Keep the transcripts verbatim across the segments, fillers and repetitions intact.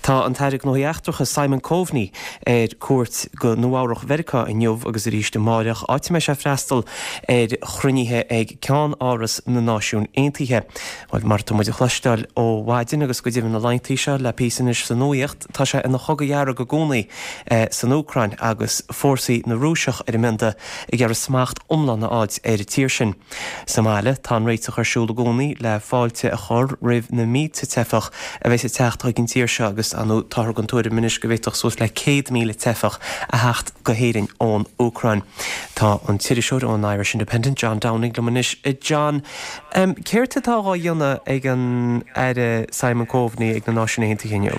Tá an tAire Gnóthaí Eachtracha Simon Coveney ar cuairt go Nua-Eabhrac Mheiriceá inniu agus arís amárach áit a mbeidh sé ag freastal ar chruinnithe ag Ceann-Áras na Náisiún Aontaithe. Well mar tá muid a chloisteáil ó mhaidin agus go deimhin na laethanta seo le píosa anois sa nuacht tá sé ina chogadh dhearg i gcónaí eh, san Úcráin agus fórsaí na Rúiseach ar a mbionda ag iarraidh smacht iomlán a fháil ar an tír sin. Sa mbaile tá an réiteach ar siúl i gcónaí le fáilte a chur roimh na mílte teifeach a bheas ag teacht chuig an tír seo agus anú táthar den tuairim anois go bhféadfadh suas le céad míle teifeach a theacht go hÉirinn ón Úcráin. Tá an t-iriseoir ón Irish Independent John Downing liom anois John um, céard atá á dhéanamh ag an Aire Simon Coveney ag na Náisiúin Aontaithe inniu.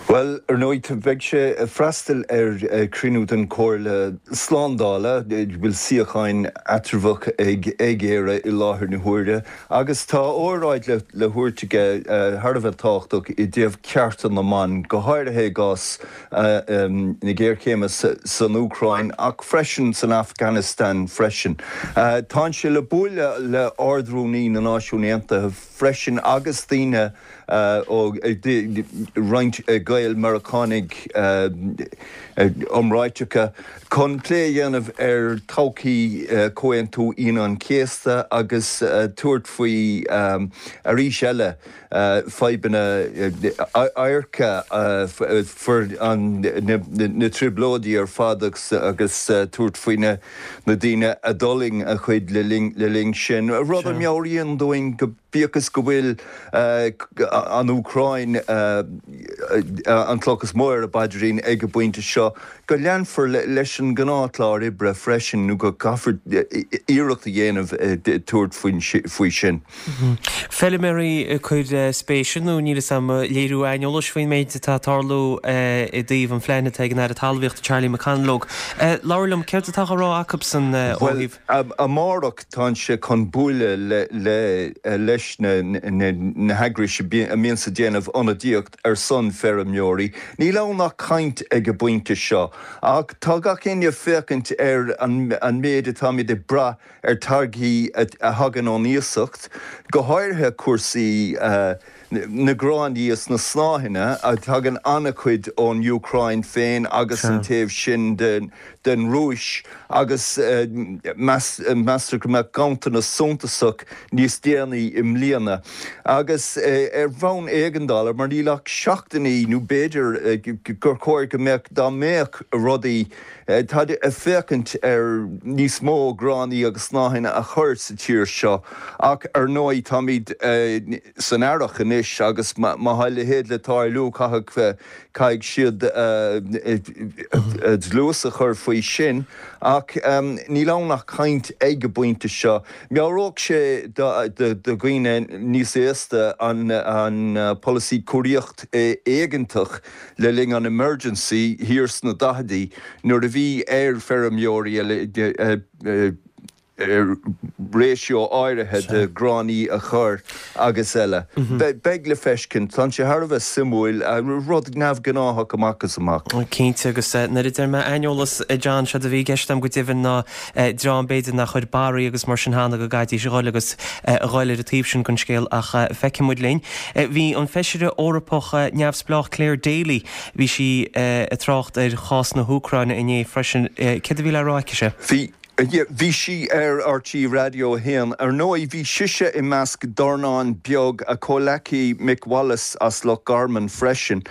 Well ar ndóigh beidh sé freastal ar chruinniú den Chomhairle Slándála bhfuil suíochán eatramhach ag ag Éire i láthair na huaire, agus tá óráid le le tabhairt aige thar a bheith tábhachtach i dtaobh cearta na mban, go háirithe i gcás na géarchéime san Úcráin ach freisin san Afghanistan freisin. Tá sé le bualadh le Ard-Rúnaí na Náisiún Aontaithe freisin agus daoine ó roinnt Gael Meiriceánaigh iomráiteacha chun plé a dhéanamh ar todhchaí Chomhaontú Aoine an Chéasta agus tabhairt faoi arís eile fadhbanna imirce na trioblóidí ar fad agus agus tabhairt faoi na daoine a d'fhulaing a chuid le linn sin. Rud a mheabhraíonn dúinn go bíodh is go bhfuil an Úcráin an cloch is mó ar a bpaidrín ag an bpointe seo, go leanfar leis an ngnáthchlár oibre freisin nó go gcaithfear iarracht a dhéanamh tabhairt faoi sin. Feilméaraí cur spéise nó níl am léiriú aineolais faoin méid atá ag tarlú i dtaobh an phlean atá ag an Aire Talmhaíochta Charlie McConalogue. Labhair liom céard atá á rá acusan ó thaobh. Amárach tá sé chun bualadh le leis na heagrais a bhíonn ag déanamh ionadaíocht ar son feirmeoirí. Níl ann ach caint ag an bpointe seo, ach tá gach éinne ag féachaint ar an méid atáimid ag brath ar táirgí a thagann ón iasacht, go háirithe cúrsaí na gráinní is na snáitheanna a thagann an-chuid ón Úcráin féin agus an taobh sin den den Rúis agus meastar go mbeadh ganntanas suntasach níos déanaí i mbliana. Agus ar bhonn éigeandála mar níl ach seachtainí nó b'fhéidir gur chóir go mbeadh dá mbeadh rudaí tá ag féachaint ar níos mó gráinní agus snáitheanna a chur sa tír seo ach ar ndóigh táimid san earrach anois agus má tá a leithéid le tarlú caithfidh caithfidh siad dlús a chur faoi sin ach níl ann ach caint ag an bpointe seo. Meabhródh sé do dhaoine níos aosta an an polasaí cóiríocht éigeantach le linn an emergency thiar sna daichidí nuair a bhí ar feirmeoirí ratio áirithe de gráinní a chur agus eile. Beidh le feiscint tá sé thar a bheith suimiúil rud neamhghnách amach is amach. Cinnte agus nuair a deir mé aineolas John sé a bhí i gceist agam go deimhin ná dream b'fhéidir nach chuir barraí agus mar sin cheana go gcaithfidís a dhul agus a dhul ar an taobh sin den scéal ach feicfidh muid linn. Bhí an feisire Eorpach neamhspleách Clare Daly bhí sí ag trácht ar chás na hÚcráine inné freisin céard a bhí le rá aici se. Bhí Bhí sí ar RTÉ Raidió a haon ar ndóigh bhí sise i measc dornán beag a comhleacaí Mick Wallace as Loch Garman freisin,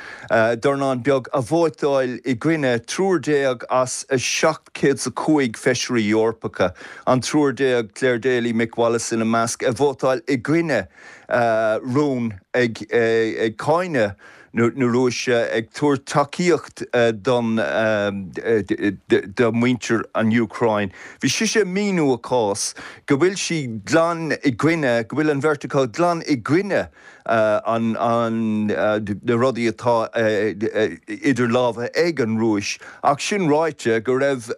dornán beag a vótáil i gcoinne triúr déag as a seacht céad a cúig feisirí Eorpacha, an triúr déag Clare Daly Mick Wallace ina measc a vótáil i gcoinne rún ag ag cáineadh na Rúise ag tabhairt tacaíocht don do mhuintir an Úcráin. Bhí sise ag míniú a cás go bhfuil sí glan i gcoinne, go bhfuil an bheirt acu glan i gcoinne an an na rudaí atá idir lámha ag an Rúis, ach sin ráite go raibh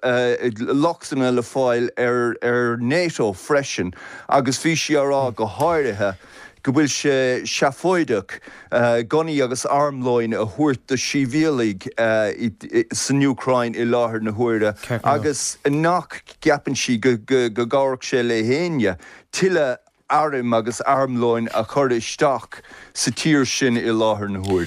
lochtanna le fáil ar ar NATO freisin agus bhí sí á rá go háirithe go bhfuil sé seafóideach gunnaí agus armlóin a thabhairt do shibhialaigh san Úcráin i láthair na huaire agus nach gceapann sí go gcabhródh sé le héinne tuilleadh airm agus armlóin a chur isteach sa tír sin i láthair na huaire.